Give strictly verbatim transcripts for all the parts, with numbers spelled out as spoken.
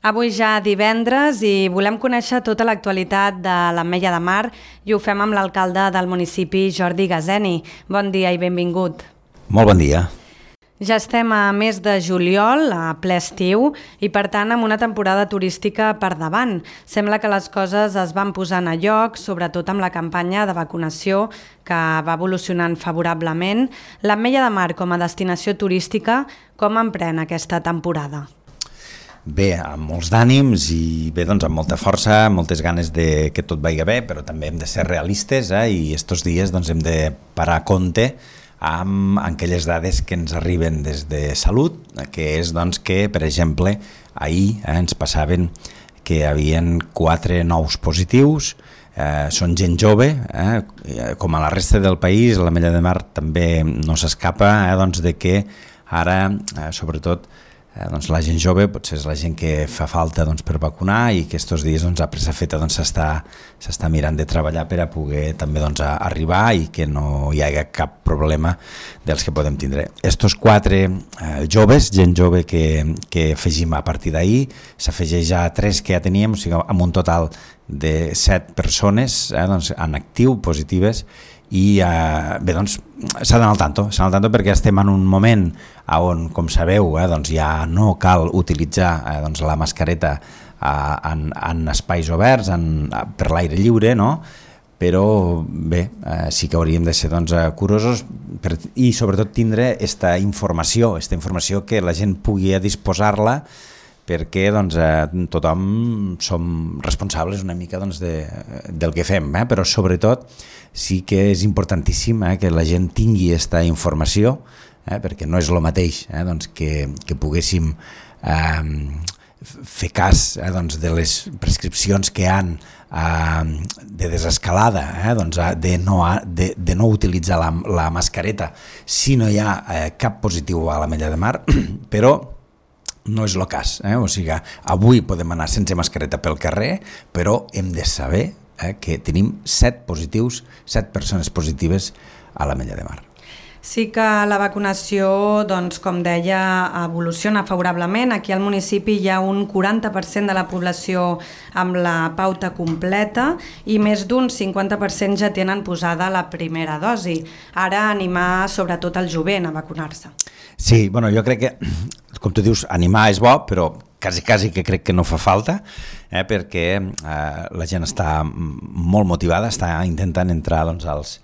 Avui ja divendres i volem conèixer tota l'actualitat de l'Ametlla de Mar i ho fem amb l'alcalde del municipi, Jordi Gazeni. Bon dia i benvingut. Molt bon dia. Ja estem a mes de juliol, a ple estiu, i per tant amb una temporada turística per davant. Sembla que les coses es van posant a lloc, sobretot amb la campanya de vacunació que va evolucionant favorablement. L'Ametlla de Mar com a destinació turística, com emprèn aquesta temporada? Bé, amb molts d'ànims i bé, doncs, amb molta força, moltes ganes de que tot vagi bé, però també hem de ser realistes eh? I estos dies doncs, hem de parar a compte amb aquelles dades que ens arriben des de Salut, que és doncs, que, per exemple, ahir eh, ens passaven que hi havia quatre nous positius, eh, són gent jove, eh, com a la resta del país, l'Ametlla de Mar també no s'escapa eh, doncs, de que ara, eh, sobretot, Eh, doncs la gent jove potser és la gent que fa falta doncs, per vacunar i que estos dies doncs, a pressa feta doncs, s'està s'està mirant de treballar per a poder també doncs, a arribar i que no hi hagi cap problema dels que podem tindre. Estos quatre eh, joves, gent jove que, que afegim a partir d'ahir, s'afegeix a tres que ja teníem, o sigui, amb un total de set persones eh, doncs, en actiu, positives, i eh, bé, doncs, s'ha d'anar al tanto, s'ha d'anar al tanto perquè estem en un moment on, com sabeu, eh, doncs ja no cal utilitzar eh, doncs la mascareta eh, en, en espais oberts, en, per l'aire lliure, no? Però bé, eh, sí que hauríem de ser doncs, curosos per, i sobretot tindre aquesta informació, aquesta informació que la gent pugui disposar-la perquè doncs, eh, tothom som responsables una mica doncs, de, del que fem, eh? Però sobretot sí que és importantíssim eh, que la gent tingui aquesta informació, eh, perquè no és el mateix eh, doncs, que, que poguéssim eh, fer cas eh, doncs, de les prescripcions que hi ha eh, de desescalada, eh, doncs, de, no, de, de no utilitzar la, la mascareta si no hi ha eh, cap positiu a l'Ametlla de Mar, però no és el cas, eh? O sigui, avui podem anar sense mascareta pel carrer, però hem de saber eh, que tenim set positius, set persones positives a l'Ametlla de Mar. Sí que la vacunació, doncs, com deia, evoluciona favorablement. Aquí al municipi hi ha un quaranta per cent de la població amb la pauta completa i més d'un cinquanta per cent ja tenen posada la primera dosi. Ara animar sobretot el jovent a vacunar-se. Sí, bueno, jo crec que, com tu dius, animar és bo, però quasi, quasi que crec que no fa falta, eh, perquè eh, la gent està molt motivada, està intentant entrar doncs, als,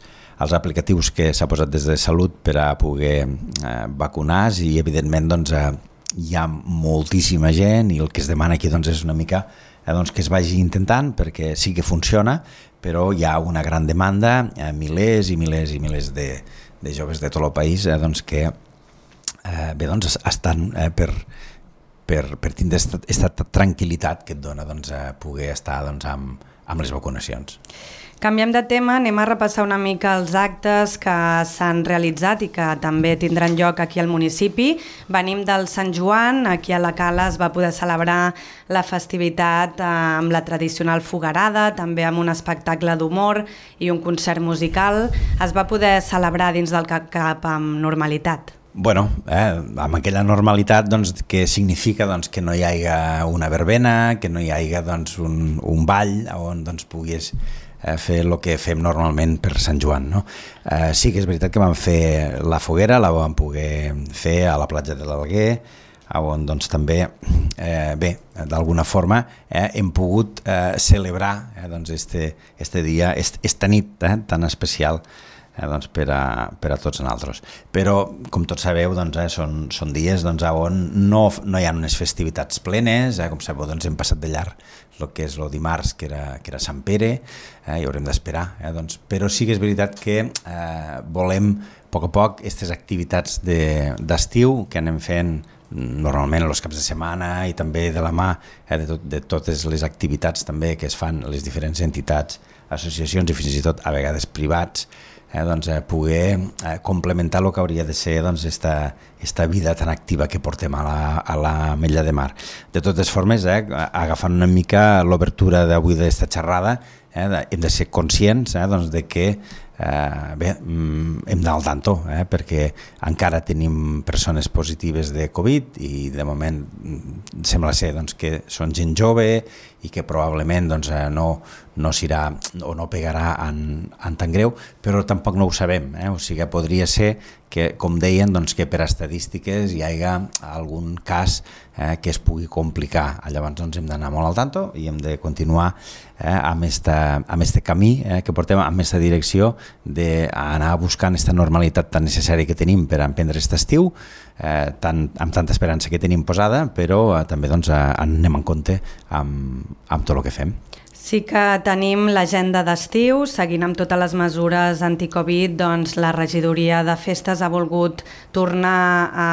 als aplicatius que s'ha posat des de Salut per a poder eh, vacunar i evidentment doncs, eh, hi ha moltíssima gent i el que es demana aquí doncs, és una mica eh, doncs, que es vagi intentant perquè sí que funciona, però hi ha una gran demanda, eh, milers i milers i milers de, de joves de tot el país eh, doncs, que Eh, bé, doncs estan eh, per, per, per tindre aquesta tranquil·litat que et dona doncs, eh, poder estar doncs, amb, amb les vacunacions. Canviem de tema, anem a repassar una mica els actes que s'han realitzat i que també tindran lloc aquí al municipi. Venim del Sant Joan, aquí a la Cala es va poder celebrar la festivitat amb la tradicional foguerada, també amb un espectacle d'humor i un concert musical. Es va poder celebrar dins del CAP amb normalitat. Bueno, eh, amb aquella normalitat doncs, que significa doncs, que no hi hagi una verbena, que no hi hagi doncs, un, un ball on doncs, puguis eh, fer el que fem normalment per Sant Joan. No? Eh, sí que és veritat que vam fer la foguera, la vam poder fer a la platja de l'Alguer, on doncs, també, eh, bé, d'alguna forma eh, hem pogut eh, celebrar eh, doncs, este, este dia, est, esta nit eh, tan especial Eh, doncs per, a, per a tots nosaltres. Però, com tots sabeu, doncs, eh, són, són dies doncs, on no, no hi ha unes festivitats plenes, eh, com sabeu, doncs, hem passat de llarg el que és el dimarts, que era, que era Sant Pere, eh, i haurem d'esperar. Eh, doncs, però sí que és veritat que eh, volem, a poc a poc, aquestes activitats d'estiu de, que anem fent normalment els caps de setmana i també de la mà eh, de, tot, de totes les activitats també que es fan a les diferents entitats, associacions i fins i tot a vegades privats, Eh, doncs, eh, poder eh, complementar el que hauria de ser doncs, esta, esta vida tan activa que portem a la, a l'Ametlla de Mar. De totes formes, eh, agafant una mica l'obertura d'avui d'esta xerrada, eh, hem de ser conscients eh, doncs, de que eh, bé, hem d'anar al tanto, eh, perquè encara tenim persones positives de Covid i de moment sembla ser doncs, que són gent jove i que probablement doncs, no, no s'irà o no pegarà en, en tan greu, però tampoc no ho sabem. Eh? O sigui, podria ser que, com deien, doncs, que per estadístiques hi hagi algun cas eh, que es pugui complicar. Llavors doncs, hem d'anar molt al tanto i hem de continuar eh, amb aquest camí eh, que portem, amb aquesta direcció d'anar buscant aquesta normalitat tan necessària que tenim per emprendre aquest estiu, eh, tan, amb tanta esperança que tenim posada, però eh, també doncs, eh, anem en compte amb, amb tot el que fem. Sí que tenim l'agenda d'estiu, seguint amb totes les mesures anticovid, doncs la regidoria de festes ha volgut tornar a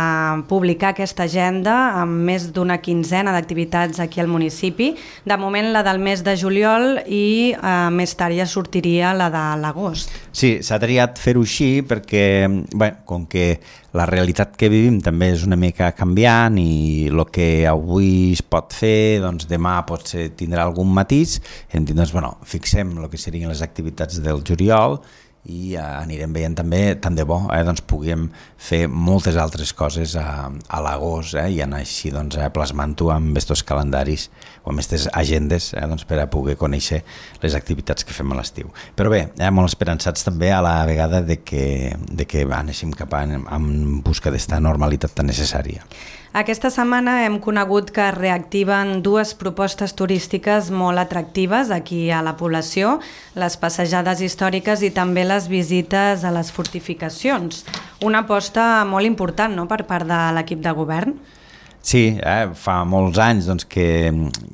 publicar aquesta agenda amb més d'una quinzena d'activitats aquí al municipi. De moment la del mes de juliol i eh, més tard ja sortiria la de l'agost. Sí, s'ha triat fer-ho així perquè, bé, com que la realitat que vivim també és una mica canviant i el que avui es pot fer, doncs demà potser tindrà algun matís. Hem dit, doncs, bueno, fixem el que serien les activitats del juliol i eh, anirem veient també, tant de bo, eh, doncs puguem fer moltes altres coses a, a l'agost eh, i anar així doncs, eh, plasmant-ho amb aquests calendaris o amb aquestes agendes eh, doncs, per a poder conèixer les activitats que fem a l'estiu. Però bé, eh, molt esperançats també a la vegada de que, de que anéssim cap a, en busca d'esta normalitat tan necessària. Aquesta setmana hem conegut que reactiven dues propostes turístiques molt atractives aquí a la població, les passejades històriques i també les visites a les fortificacions. Una aposta molt important, no?, per part de l'equip de govern. Sí, eh, fa molts anys doncs, que,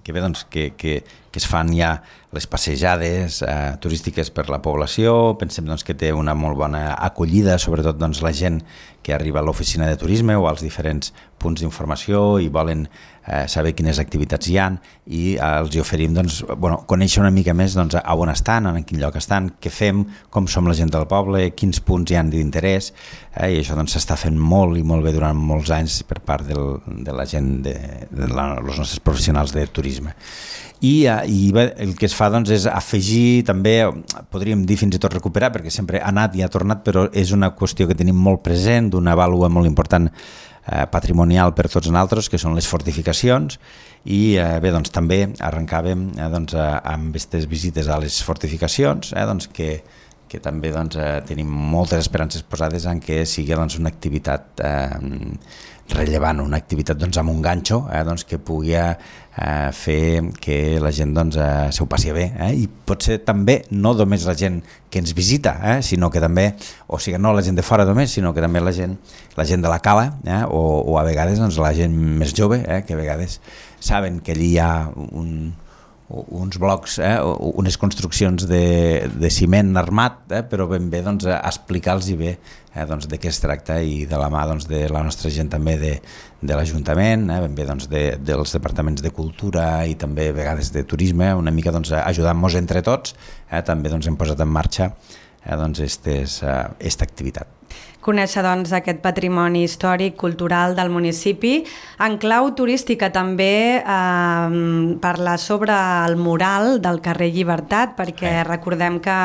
que, bé, doncs, que, que, que es fan ja les passejades eh, turístiques per la població. Pensem doncs, que té una molt bona acollida, sobretot doncs, la gent que arriba a l'oficina de turisme o als diferents punts d'informació i volen eh, saber quines activitats hi ha i eh, els hi oferim doncs, bueno, conèixer una mica més doncs, a on estan, en quin lloc estan, què fem, com som la gent del poble, quins punts hi han d'interès eh, i això doncs, s'està fent molt i molt bé durant molts anys per part del, de la gent, de, de la, els nostres professionals de turisme. I, i bé, el que es fa doncs, és afegir també, podríem dir fins i tot recuperar, perquè sempre ha anat i ha tornat, però és una qüestió que tenim molt present, d'una vàlua molt important eh, patrimonial per tots nosaltres, que són les fortificacions, i eh, bé, doncs, també arrencàvem eh, doncs, eh, amb aquestes visites a les fortificacions, eh, doncs, que, que també doncs, eh, tenim moltes esperances posades en què sigui doncs, una activitat eh, rellevant, una activitat doncs, amb un ganxo eh, doncs, que pugui eh, fer que la gent doncs, eh, s'ho passi bé eh, i potser també no només la gent que ens visita, eh, sinó que també, o sigui, no la gent de fora només, sinó que també la gent, la gent de la cala eh, o, o a vegades doncs, la gent més jove, eh, que a vegades saben que allí hi ha un uns blocs, eh, unes construccions de, de ciment armat, eh, però ben bé doncs, explicar-los bé eh, doncs, de què es tracta i de la mà doncs, de la nostra gent també de, de l'Ajuntament, eh, ben bé doncs, de, dels departaments de cultura i també a vegades de turisme, una mica doncs, ajudant-nos entre tots, eh, també doncs, hem posat en marxa eh, doncs, estes, eh, esta activitat. Conèixer doncs, aquest patrimoni històric, cultural del municipi. En clau turística també eh, parlar sobre el mural del carrer Llibertat, perquè eh. recordem que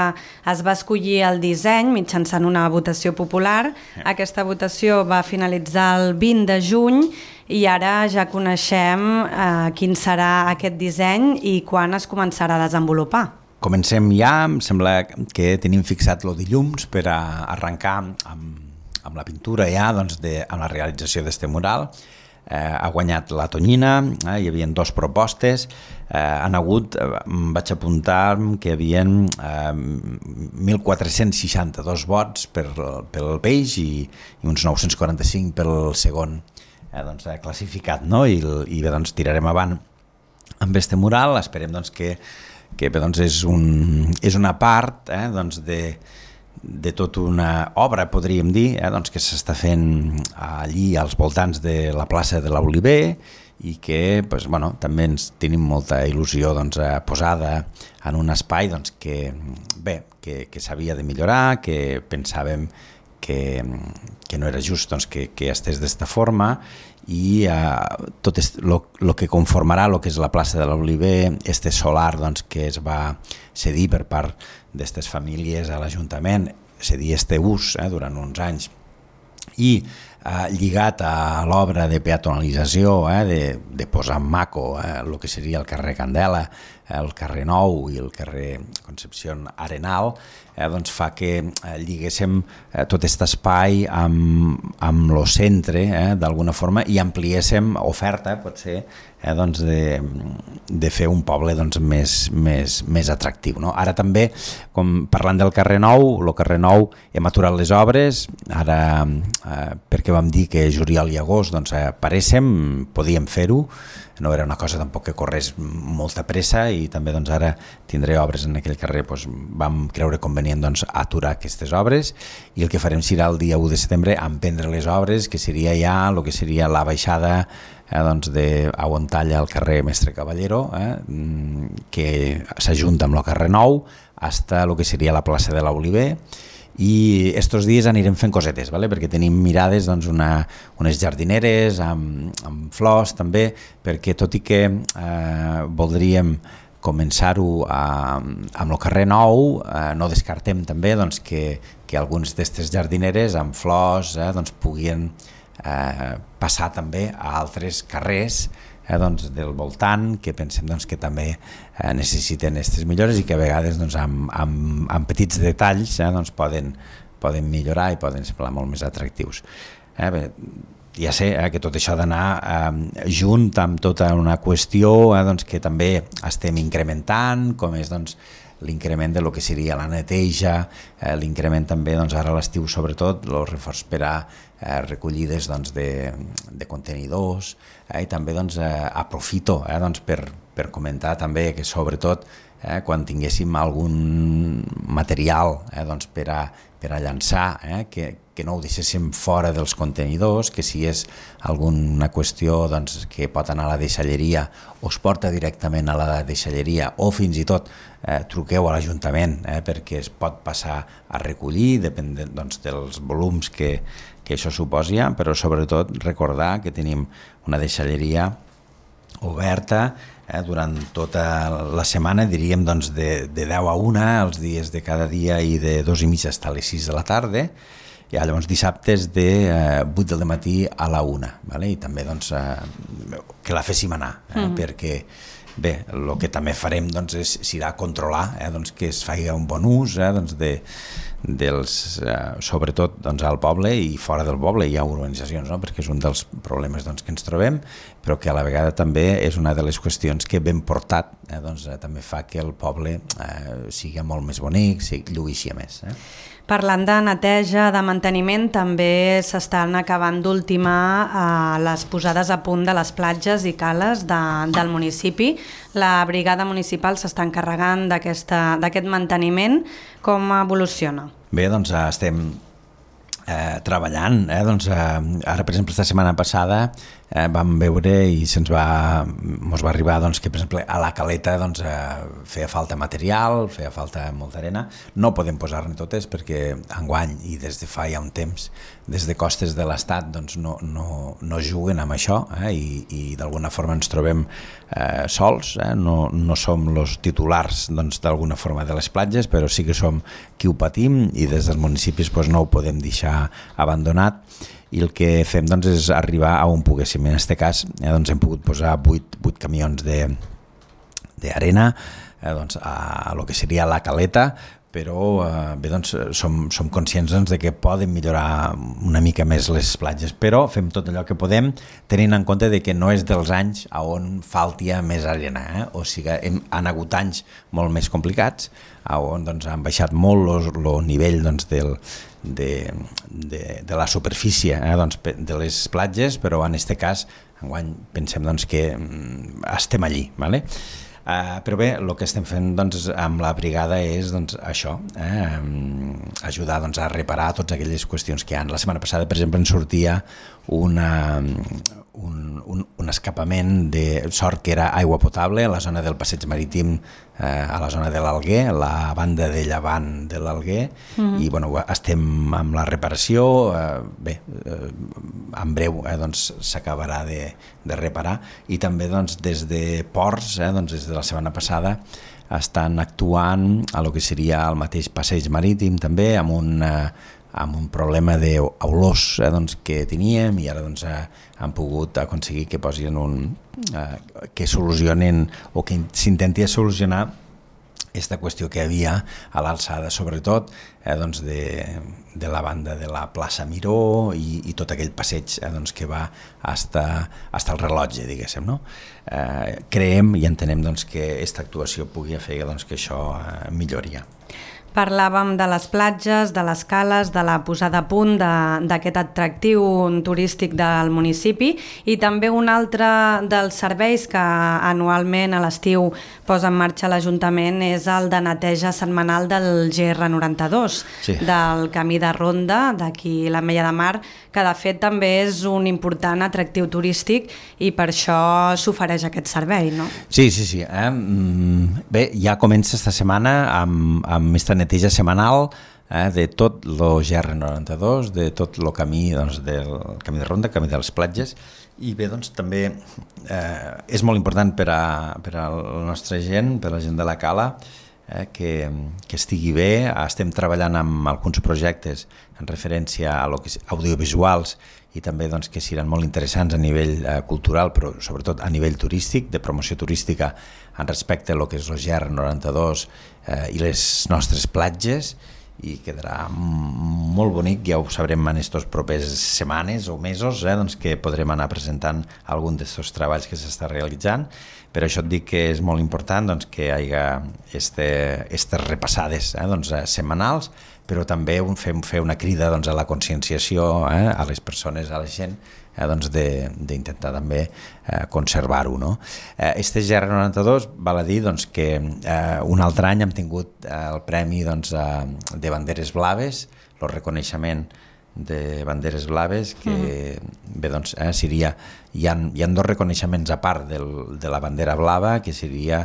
es va escollir el disseny mitjançant una votació popular. Eh. Aquesta votació va finalitzar el vint de juny i ara ja coneixem eh, quin serà aquest disseny i quan es començarà a desenvolupar. Comencem ja, em sembla que tenim fixat el dilluns per a arrencar amb amb la pintura ja, doncs, de, amb la realització d'aquest mural. Eh, ha guanyat la Tonyina, eh, hi havia dues propostes, eh, han hagut, eh, vaig apuntar que hi havia eh, mil quatre-cents seixanta-dos vots per, pel peix i, i uns nou-cents quaranta-cinc pel segon eh, doncs, classificat, no? I, i bé, doncs, tirarem avant amb aquest mural, esperem doncs, que, que bé, doncs, és, un, és una part eh, doncs, de de tota una obra, podríem dir, eh, doncs que s'està fent allí als voltants de la plaça de l'Oliver i que pues, bueno, també ens tenim molta il·lusió doncs, posada en un espai doncs, que, bé, que, que s'havia de millorar, que pensàvem que, que no era just doncs, que, que estés d'esta forma i eh, tot el que conformarà el que és la plaça de l'Oliver, este solar doncs, que es va cedir per part d'aquestes famílies a l'Ajuntament, cedir este ús eh, durant uns anys, i eh, lligat a l'obra de peatonalització, eh, de, de posar en maco eh, el que seria el carrer Candela, el carrer Nou i el carrer Concepción Arenal, eh, doncs fa que eh, lliguéssim eh, tot aquest espai amb, amb el centre eh, d'alguna forma i ampliéssim oferta, potser, eh, doncs de, de fer un poble doncs, més, més, més atractiu. No? Ara també, com parlant del carrer Nou, el carrer Nou hem aturat les obres, ara eh, perquè vam dir que juliol i agost doncs, apareixem, podíem fer-ho, no era una cosa tampoc que corrés molta pressa i també doncs, ara tindré obres en aquell carrer, doncs, vam creure convenient doncs, aturar aquestes obres i el que farem serà el dia u de setembre emprendre les obres, que seria ja el que seria la baixada eh, doncs, de a on talla el carrer Mestre Caballero, eh, que s'ajunta amb el carrer Nou fins a el que seria la plaça de l'Oliver. I estos dies anirem fent cosetes, ¿vale? Perquè tenim mirades doncs, una, unes jardineres amb, amb flors també, perquè tot i que eh, voldríem començar-ho amb el carrer Nou, eh, no descartem també doncs, que, que alguns d'aquestes jardineres amb flors eh, doncs, puguin eh, passar també a altres carrers eh, doncs, del voltant, que pensem doncs, que també eh, necessiten aquestes millores i que a vegades doncs, amb, amb, amb petits detalls eh, doncs, poden, poden millorar i poden semblar molt més atractius. Eh, bé, ja sé eh, que tot això ha d'anar eh, junt amb tota una qüestió eh, doncs, que també estem incrementant, com és doncs, l'increment de lo que seria la neteja, eh, l'increment també doncs, ara a l'estiu sobretot, el reforç per a eh, recollides doncs, de, de contenidors eh, i també doncs, eh, aprofito eh, doncs, per, per comentar també que sobretot eh, quan tinguéssim algun material eh, doncs, per, a, per a llançar, eh, que, que no ho deixéssim fora dels contenidors, que si és alguna qüestió doncs, que pot anar a la deixalleria o es porta directament a la deixalleria o fins i tot eh, truqueu a l'Ajuntament eh, perquè es pot passar a recollir, depèn de, doncs, dels volums que, que això suposa, però sobretot recordar que tenim una deixalleria oberta eh, durant tota la setmana, diríem doncs, de, de deu a una, els dies de cada dia i de dos i mitja fins a les sis de la tarda, i llavors dissabtes de eh, vuit del matí a la una, vale? I també doncs, eh, que la féssim anar, eh? mm. perquè bé, el que també farem doncs, és, serà controlar eh, doncs, que es faci un bon ús eh, doncs, de, dels, eh, sobretot doncs, al poble i fora del poble hi ha urbanitzacions, no? Perquè és un dels problemes doncs, que ens trobem, però que a la vegada també és una de les qüestions que ben portat eh, doncs, eh, també fa que el poble eh, sigui molt més bonic, sigui, lluïxi a més. Eh? Parlant de neteja, de manteniment, també s'estan acabant d'ultimar eh, les posades a punt de les platges i cales de, del municipi. La brigada municipal s'està encarregant d'aquest manteniment. Com evoluciona? Bé, doncs estem eh, treballant. Eh? Doncs, eh, ara, per exemple, esta setmana passada eh, vam veure i se'ns va, mos va arribar doncs, que, per exemple, a la caleta doncs, eh, feia falta material, feia falta molta arena. No podem posar-ne totes perquè enguany i des de fa ja un temps, des de costes de l'Estat doncs, no, no, no juguen amb això eh? I, i d'alguna forma ens trobem eh, sols, eh? no, no som els titulars doncs, d'alguna forma de les platges, però sí que som qui ho patim i des dels municipis doncs, no ho podem deixar abandonat. I el que fem doncs, és arribar a on poguéssim. En aquest cas eh, doncs, hem pogut posar vuit, vuit camions d'arena eh, doncs, a, a lo que seria la caleta, però eh, bé, doncs, som, som conscients doncs, de que poden millorar una mica més les platges, però fem tot allò que podem tenint en compte de que no és dels anys a on faltia més arena, eh? O sigui, hem, han hagut anys molt més complicats, on doncs, han baixat molt el nivell doncs, del, de, de, de la superfície eh, doncs, de les platges, però en aquest cas enguany pensem doncs, que estem allí. Vale? Uh, però bé, el que estem fent doncs, amb la brigada és doncs, això, eh, ajudar doncs, a reparar totes aquelles qüestions que hi ha. La setmana passada, per exemple, ens sortia una, un, un, un escapament de sort que era aigua potable a la zona del passeig marítim, eh, a la zona de l'Alguer, la banda de llevant de l'Alguer, mm-hmm. i bueno, estem amb la reparació, eh, bé, eh, en breu eh, doncs, s'acabarà de, de reparar, i també doncs, des de Ports, eh, doncs, des de la setmana passada, estan actuant a lo que seria el mateix passeig marítim també, amb un, eh, amb un problema d'olors eh, doncs, que teníem, i ara doncs, eh, han pogut aconseguir que posin un, eh, que solucionen o que s'intenti solucionar aquesta qüestió que hi havia a l'alçada, sobretot eh, doncs de, de la banda de la plaça Miró i, i tot aquell passeig eh, doncs, que va hasta, hasta el rellotge, diguéssim, no? Eh, creiem i entenem doncs, que aquesta actuació pugui fer doncs, que això eh, milloria. Parlàvem de les platges, de les cales, de la posada a punt d'aquest atractiu turístic del municipi, i també un altre dels serveis que anualment a l'estiu posa en marxa l'Ajuntament és el de neteja setmanal del G R noranta-dos, sí. del camí de ronda d'aquí l'Ametlla de Mar, que de fet també és un important atractiu turístic i per això s'ofereix aquest servei, no? Sí, sí, sí. Eh? Bé, ja comença esta setmana amb, amb aquesta neteja setmanal eh, de tot el G R noranta-dos, de tot el camí, doncs, del camí de ronda, camí de les platges, i bé, doncs també eh, és molt important per a, per a la nostra gent, per a la gent de la Cala, eh, que, que estigui bé. Estem treballant amb alguns projectes en referència a lo que és audiovisuals i també doncs, que seran molt interessants a nivell eh, cultural, però sobretot a nivell turístic, de promoció turística en respecte a lo que és el G R noranta-dos eh, i les nostres platges, i quedarà molt bonic. Ja ho sabrem en aquestes properes setmanes o mesos, eh, doncs que podrem anar presentant algun d'aquests treballs que s'està realitzant. Per això et dic que és molt important doncs, que hi hagi aquestes repassades eh, doncs, setmanals, però també un, fer, fer una crida doncs, a la conscienciació eh, a les persones, a la gent, eh, doncs d'intentar també eh, conservar-ho. No? Eh, este G R noranta-dos val a dir doncs, que eh, un altre any hem tingut eh, el premi doncs, eh, de banderes blaves, el reconeixement de banderes blaves, que mm. bé, doncs, eh, seria, hi ha, hi ha dos reconeixements a part del, de la bandera blava, que seria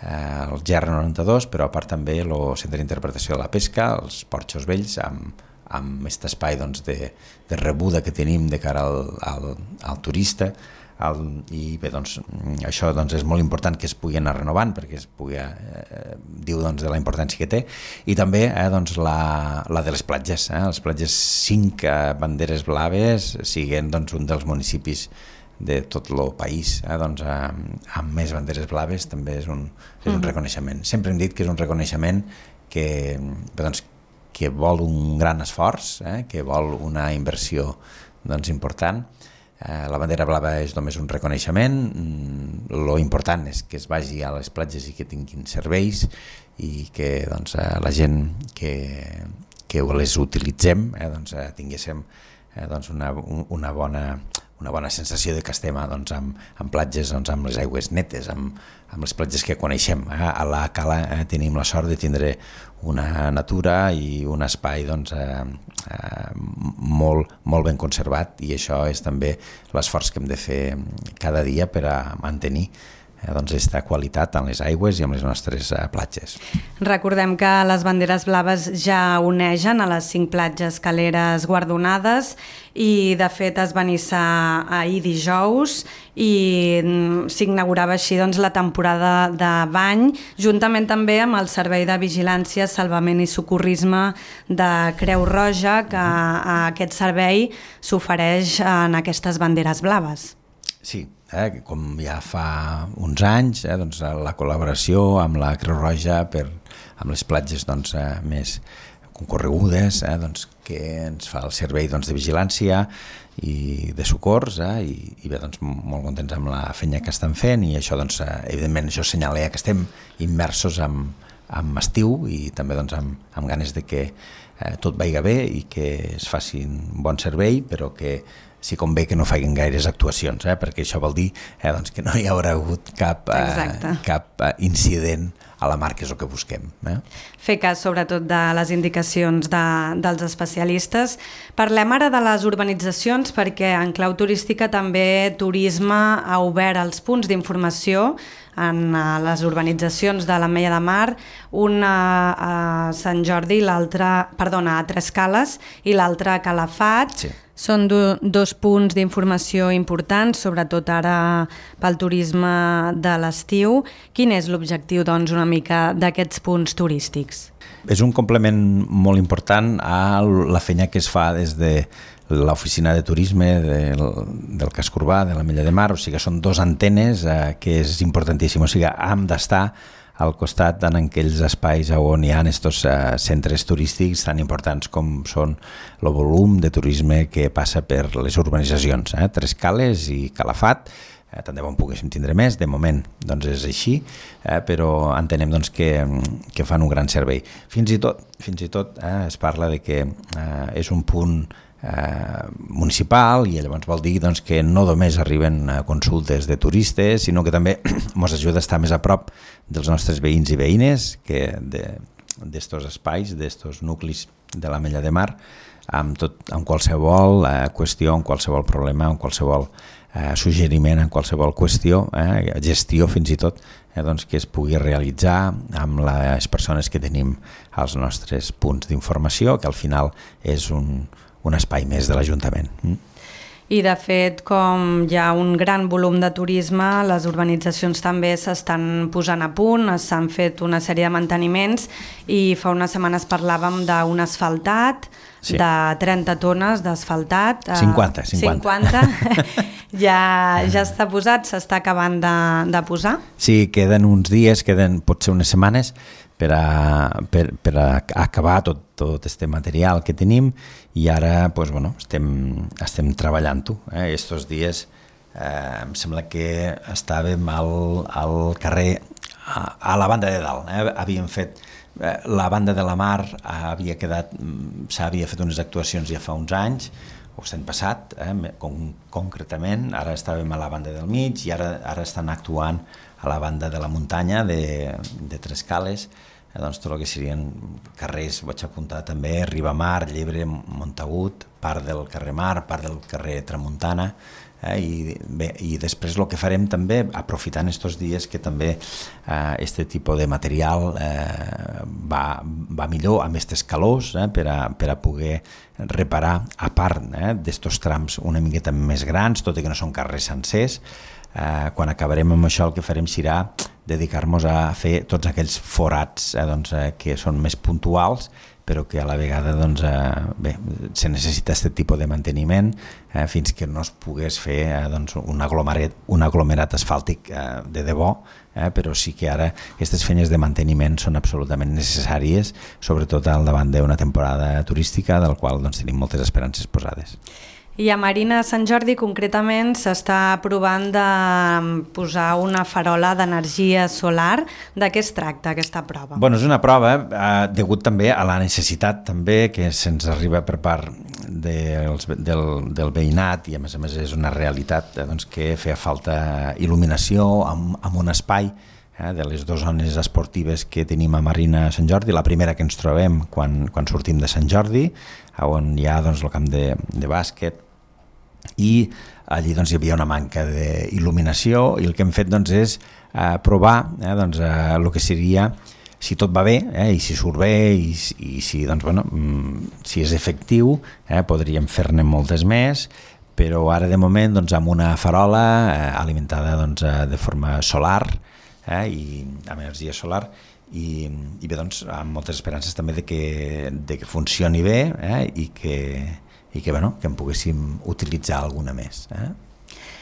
eh, el G R noranta-dos, però a part també el Centre d'Interpretació de la Pesca, els Porxos Vells, amb, amb aquest espai doncs, de, de rebuda que tenim de cara al, al, al turista, el, i bé, doncs, això doncs, és molt important que es pugui anar renovant, perquè es pugui, eh, diu doncs, de la importància que té, i també eh, doncs, la, la de les platges, eh, les platges cinc eh, banderes blaves, siguin doncs, un dels municipis de tot el país, eh, doncs, eh, amb més banderes blaves, també és un, és un reconeixement. Sempre hem dit que és un reconeixement que, bé, doncs, que vol un gran esforç, eh, que vol una inversió doncs, important. Eh, la bandera blava és només un reconeixement, lo important és que es vagi a les platges i que tinguin serveis i que doncs, eh, la gent que, que les utilitzem eh, doncs, eh, tinguéssim eh, doncs, una, una, bona, una bona sensació de que estem doncs, amb, amb platges doncs, amb les aigües netes, amb, amb les platges que coneixem. Eh? A la Cala eh, tenim la sort de tindre una natura i un espai doncs, eh, eh, molt, molt ben conservat, i això és també l'esforç que hem de fer cada dia per a mantenir eh, doncs, aquesta qualitat en les aigües i en les nostres eh, platges. Recordem que les banderes blaves ja onegen a les cinc platges caleres guardonades, i de fet es va iniciar ahir dijous i s'inaugurava així doncs, la temporada de bany, juntament també amb el Servei de Vigilància, Salvament i Socorrisme de Creu Roja, que a aquest servei s'ofereix en aquestes banderes blaves. Sí, eh, com ja fa uns anys, eh, doncs, la col·laboració amb la Creu Roja per, amb les platges doncs, eh, més concorregudes, eh, doncs, que ens fa el servei doncs, de vigilància i de socors, eh, i, i bé, doncs, molt contents amb la feina que estan fent, i això, doncs, eh, evidentment, això assenyala que estem immersos en, en estiu i també doncs, amb, amb ganes de que eh, tot vagi bé i que es faci un bon servei, però que sí convé que no facin gaires actuacions, eh, perquè això vol dir eh, doncs, que no hi haurà hagut cap, eh, cap eh, incident a la mar, que és el que busquem. Eh? Fer cas sobretot de les indicacions de, dels especialistes. Parlem ara de les urbanitzacions, perquè en clau turística també Turisme ha obert els punts d'informació en les urbanitzacions de l'Ametlla de Mar, un a Sant Jordi, l'altre, perdona, a Tres Cales i l'altre a Calafat. Sí. Són do, dos punts d'informació importants, sobretot ara pel turisme de l'estiu. Quin és l'objectiu, doncs, una mica d'aquests punts turístics? És un complement molt important a la feina que es fa des de l'oficina de turisme del, del casc urbà de l'Ametlla de Mar, o sigui, són dos antenes eh, que és importantíssim, o sigui, hem d'estar al costat en aquells espais on hi ha aquests eh, centres turístics tan importants com són el volum de turisme que passa per les urbanitzacions, eh, Tres Cales i Calafat. Eh, tant de bon poguéssim tindre més, de moment doncs és així, eh, però entenem doncs, que, que fan un gran servei. Fins i tot, fins i tot eh, es parla de que eh, és un punt eh, municipal i llavors vol dir doncs, que no només arriben a consultes de turistes, sinó que també ens ajuda a estar més a prop dels nostres veïns i veïnes que d'estos espais, d'estos nuclis de l'Ametlla de Mar, amb, tot, amb qualsevol eh, qüestió, amb qualsevol problema, amb qualsevol eh, suggeriment, en qualsevol qüestió, eh, gestió fins i tot, eh, doncs que es pugui realitzar amb les persones que tenim als nostres punts d'informació, que al final és un, un espai més de l'Ajuntament. Mm. I de fet, com hi ha un gran volum de turisme, les urbanitzacions també s'estan posant a punt, s'han fet una sèrie de manteniments i fa unes setmanes parlàvem d'un asfaltat, sí, de trenta tones d'asfaltat. cinquanta, cinquanta. cinquanta. ja, ja està posat, s'està acabant de, de posar? Sí, queden uns dies, queden potser unes setmanes, per a, per, per a acabar tot, tot este material que tenim i ara pues, bueno, estem, estem treballant-ho. Eh? Estos dies eh, em sembla que estàvem al, al carrer, a, a la banda de dalt. Eh? Havíem fet, eh, la banda de la Mar havia quedat, s'havia fet unes actuacions ja fa uns anys, o l'any passat, eh, con, concretament, ara estàvem a la banda del mig i ara, ara estan actuant a la banda de la muntanya de, de Tres Cales, eh, doncs tot el que serien carrers, vaig apuntar també, Ribamar, Llebre, Montagut, part del carrer Mar, part del carrer Tramuntana, eh, i, bé, i després el que farem també, aprofitant estos dies que també eh, este tipus de material eh, va, va millor amb aquestes calors, eh, per, a, per a poder reparar, a part eh, d'estos trams una miqueta més grans, tot i que no són carrers sencers. Eh, quan acabarem amb això el que farem serà dedicar-nos a fer tots aquells forats eh, doncs, eh, que són més puntuals, però que a la vegada doncs, eh, bé, se necessita aquest tipus de manteniment eh, fins que no es pogués fer eh, doncs, un, aglomerat, un aglomerat asfàltic eh, de debò, eh, però sí que ara aquestes feines de manteniment són absolutament necessàries, sobretot al davant d'una temporada turística del qual doncs, tenim moltes esperances posades. I a Marina Sant Jordi concretament s'està provant de posar una farola d'energia solar. De què es tracta aquesta prova? Bueno, és una prova eh, degut també a la necessitat també que se'ns arriba per part dels, del, del veïnat i a més a més és una realitat eh, doncs, que feia falta il·luminació amb, amb un espai eh, de les dues zones esportives que tenim a Marina Sant Jordi. La primera que ens trobem quan, quan sortim de Sant Jordi, on hi ha doncs, el camp de, de bàsquet, i allí doncs, hi havia una manca d'il·luminació i el que hem fet doncs, és eh, provar eh, doncs, eh, el que seria, si tot va bé eh, i si surt bé i, i si, doncs, bueno, si és efectiu, eh, podríem fer-ne moltes més, però ara de moment doncs, amb una farola eh, alimentada doncs, de forma solar eh, i amb energia solar i, i bé, doncs, amb moltes esperances també de que, de que funcioni bé eh, i que i que, bueno, que en poguéssim utilitzar alguna més. Eh?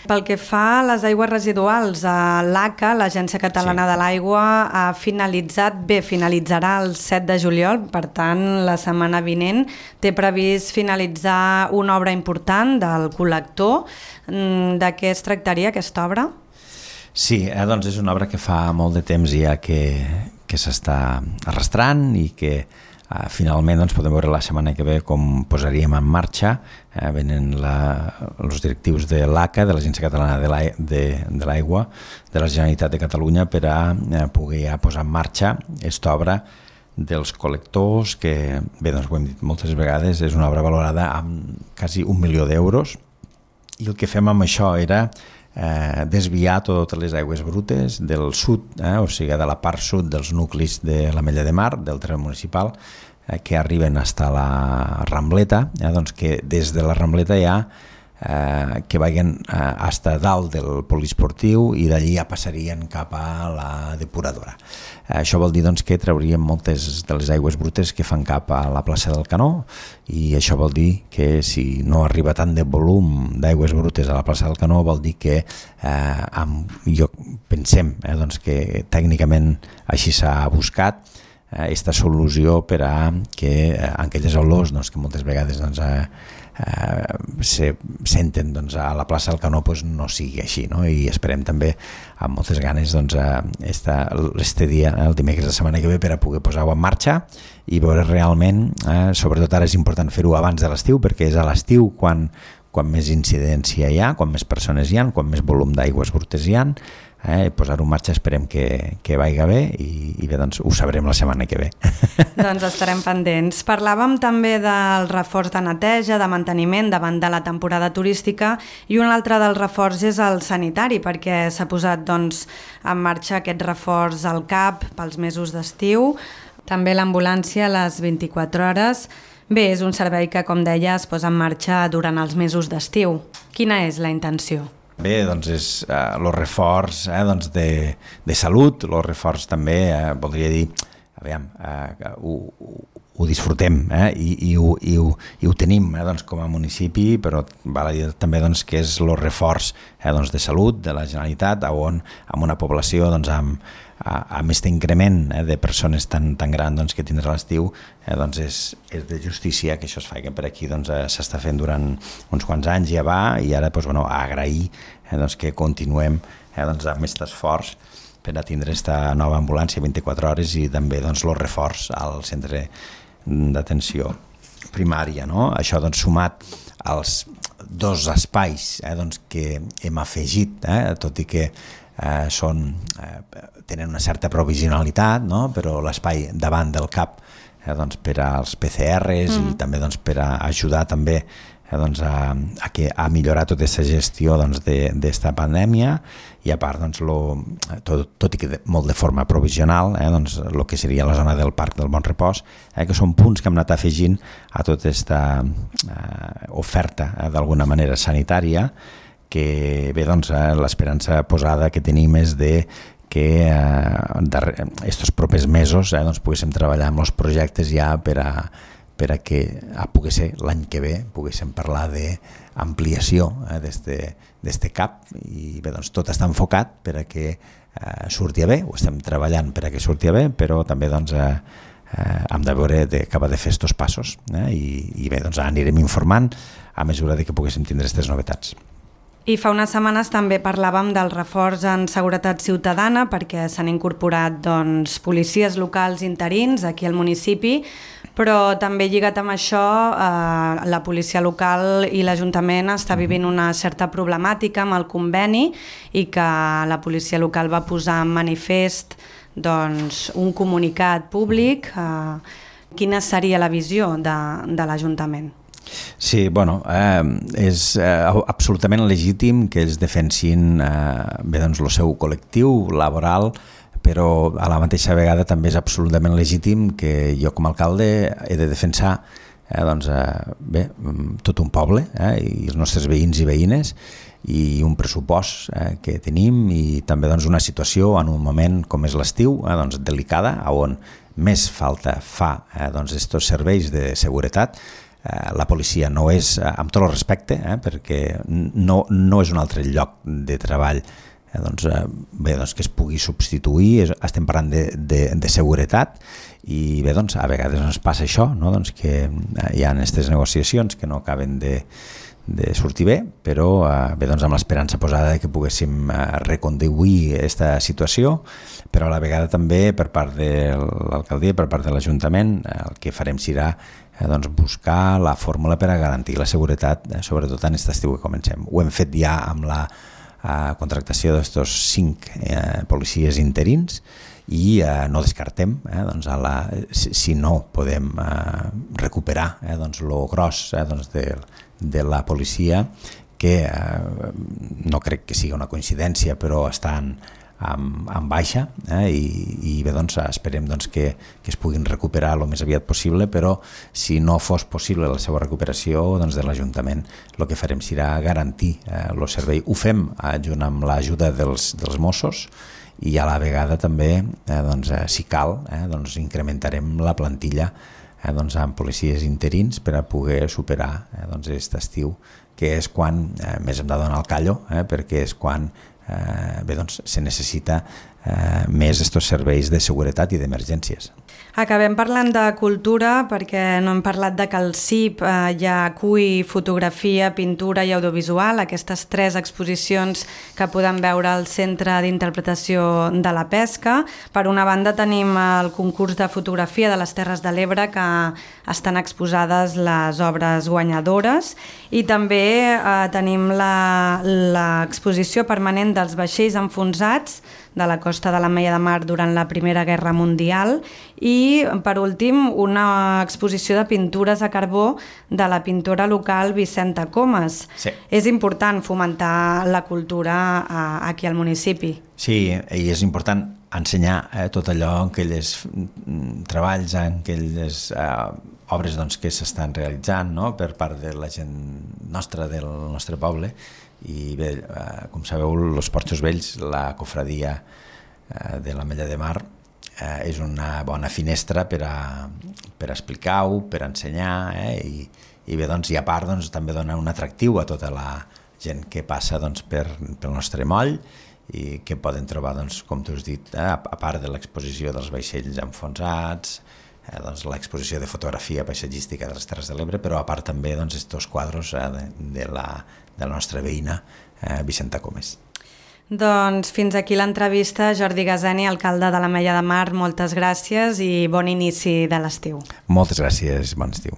Pel que fa a les aigües residuals, l'A C A, l'Agència Catalana sí. de l'Aigua, ha finalitzat, bé, finalitzarà el set de juliol, per tant, la setmana vinent té previst finalitzar una obra important del col·lector. De què es tractaria aquesta obra? Sí, eh, doncs és una obra que fa molt de temps ja que, que s'està arrastrant i que Uh, finalment doncs, podem veure la setmana que ve com posaríem en marxa. Uh, venen els directius de l'A C A, de l'Agència Catalana de l'Aigua, de la Generalitat de Catalunya, per a uh, poder ja posar en marxa aquesta obra dels col·lectors, que, bé, doncs ho hem dit moltes vegades, és una obra valorada amb quasi un milió d'euros, i el que fem amb això era eh, desviar totes les aigües brutes del sud, eh, o sigui, de la part sud dels nuclis de l'Ametlla de Mar, del terme municipal, eh, que arriben fins a la Rambleta, eh, doncs que des de la Rambleta ja eh, que vagin eh, fins a dalt del poliesportiu i d'allí ja passarien cap a la depuradora. Eh, això vol dir doncs, que trauríem moltes de les aigües brutes que fan cap a la plaça del Canó, i això vol dir que si no arriba tant de volum d'aigües brutes a la plaça del Canó, vol dir que eh, amb, jo pensem eh, doncs que tècnicament així s'ha buscat aquesta eh, solució per a que eh, aquelles olors doncs, que moltes vegades doncs, eh, Uh, se senten doncs, a la plaça del Canó pues, no sigui així, no? I esperem també amb moltes ganes doncs, este dia, el dimecres de la setmana que ve, per a poder posar-ho en marxa i veure realment, eh, sobretot ara és important fer-ho abans de l'estiu, perquè és a l'estiu quan, quan més incidència hi ha, quan més persones hi ha, quan més volum d'aigües brutes hi ha. Eh, posar-ho en marxa esperem que, que vagi bé i, i bé, doncs ho sabrem la setmana que ve. Doncs estarem pendents. Parlàvem també del reforç de neteja, de manteniment davant de la temporada turística, i un altre dels reforç és el sanitari, perquè s'ha posat doncs, en marxa aquest reforç al C A P pels mesos d'estiu, també l'ambulància a les vint-i-quatre hores. Bé, és un servei que, com deia, es posa en marxa durant els mesos d'estiu. Quina és la intenció? Bé, doncs és el uh, reforç eh, doncs de, de salut, el reforç també, eh, voldria dir, aviam, uh, ho, ho disfrutem eh, i, i, ho, i, ho, i ho tenim eh, doncs, com a municipi, però val a dir també doncs, que és el reforç eh, doncs, de salut de la Generalitat, on amb una població doncs, amb, amb aquest increment eh, de persones tan, tan gran doncs, que tindrà l'estiu, eh, doncs és, és de justícia que això es faci per aquí, doncs, eh, s'està fent durant uns quants anys, ja va, i ara doncs, bueno, agrair eh, doncs, que continuem eh, doncs, amb aquest esforç per a tindre aquesta nova ambulància vint-i-quatre hores i també doncs, el reforç al centre d'atenció primària. No? Això doncs, sumat als dos espais eh, doncs, que hem afegit, eh, tot i que eh, són, eh, tenen una certa provisionalitat, no? Però l'espai davant del C A P eh, doncs, per als P C Rs mm. i també doncs, per a ajudar també eh, doncs, a, a, que, a millorar tota aquesta gestió d'esta doncs, pandèmia, i a part doncs, lo, tot, tot i que de, molt de forma provisional, eh, doncs, el que seria la zona del Parc del Bon Repòs, eh, que són punts que hem anat afegint a tota aquesta eh, oferta eh, d'alguna manera sanitària, que bé, doncs, eh, l'esperança posada que tenim és de que aquests eh, propers mesos eh, doncs, poguéssim treballar amb els projectes ja per a, per a que a poder ser l'any que ve poguéssim parlar d'ampliació eh, d'este C A P, i bé, doncs, tot està enfocat per a que eh, surti bé, ho estem treballant per a que surti bé, però també doncs, eh, eh, hem de veure de cap a de fer estos passos eh, i, i bé, doncs, anirem informant a mesura de que poguéssim tindre aquestes novetats. I fa unes setmanes també parlàvem del reforç en seguretat ciutadana, perquè s'han incorporat doncs, policies locals interins aquí al municipi, però també lligat amb això eh, la policia local i l'Ajuntament està vivint una certa problemàtica amb el conveni, i que la policia local va posar en manifest doncs, un comunicat públic. Eh, quina seria la visió de, de l'Ajuntament? Sí, bueno, eh, és eh, absolutament legítim que ells defensin eh, bé, doncs, el seu col·lectiu laboral, però a la mateixa vegada també és absolutament legítim que jo com a alcalde he de defensar eh, doncs, eh, bé, tot un poble eh, i els nostres veïns i veïnes, i un pressupost eh, que tenim, i també doncs, una situació en un moment com és l'estiu eh, doncs, delicada, on més falta fa eh, doncs, estos serveis de seguretat. Eh, la policia no és, eh, amb tot el respecte, eh, perquè no, no és un altre lloc de treball eh, doncs, eh, bé, doncs, que es pugui substituir, és, estem parlant de, de, de seguretat, i bé, doncs, a vegades ens passa això, no? Doncs que eh, hi ha aquestes negociacions que no acaben de, de sortir bé, però eh, bé, doncs amb l'esperança posada que poguéssim eh, reconduir aquesta situació, però a la vegada també per part de l'alcaldia, per part de l'Ajuntament, eh, el que farem serà eh, doncs buscar la fórmula per a garantir la seguretat, eh, sobretot en aquest estiu que comencem. Ho hem fet ja amb la eh, contractació d'estos cinc eh, policies interins, i eh, no descartem, eh, doncs a la, si, si no podem eh, recuperar eh, doncs lo gros eh, doncs de, de la policia, que eh, no crec que sigui una coincidència, però estan en, en baixa, eh, i, i bé, doncs, esperem doncs, que, que es puguin recuperar el més aviat possible, però si no fos possible la seva recuperació, doncs, de l'Ajuntament el que farem serà garantir el eh, servei. Ho fem eh, junt amb l'ajuda dels, dels Mossos, i a la vegada també, eh, doncs, eh, si cal, eh, doncs, incrementarem la plantilla eh, doncs, amb policies interins per a poder superar eh, doncs, aquest estiu, que és quan eh, més hem de donar el callo, eh, perquè és quan eh, bé, doncs, se necessita eh, més estos serveis de seguretat i d'emergències. Acabem parlant de cultura perquè no hem parlat de que el C I P eh, ja acull fotografia, pintura i audiovisual, aquestes tres exposicions que podem veure al Centre d'Interpretació de la Pesca. Per una banda tenim el concurs de fotografia de les Terres de l'Ebre, que estan exposades les obres guanyadores, i també eh, tenim l'exposició permanent dels vaixells enfonsats de la costa de l'Ametlla de Mar durant la Primera Guerra Mundial, i per últim una exposició de pintures a carbó de la pintora local Vicenta Comas. Sí. És important fomentar la cultura aquí al municipi. Sí, i és important ensenyar eh, tot allò en aquells treballs, en aquelles eh, obres doncs, que s'estan realitzant, no?, per part de la gent nostra, del nostre poble. I bé, eh, com sabeu, els Porxos Vells, la cofradia eh, de l'Ametlla de Mar, eh, és una bona finestra per a, per a explicar-ho, per a ensenyar, eh, i, i bé, doncs, i a part doncs, també dona un atractiu a tota la gent que passa doncs, per, pel nostre moll, i que poden trobar, doncs, com tu has dit, eh, a part de l'exposició dels vaixells enfonsats, eh, doncs, l'exposició de fotografia paisatgística de les Terres de l'Ebre, però a part també doncs, estos quadros eh, de, de, la, de la nostra veïna eh, Vicenta Comas. Doncs fins aquí l'entrevista. Jordi Gazani, alcalde de l'Ametlla de Mar, moltes gràcies i bon inici de l'estiu. Moltes gràcies, bon estiu.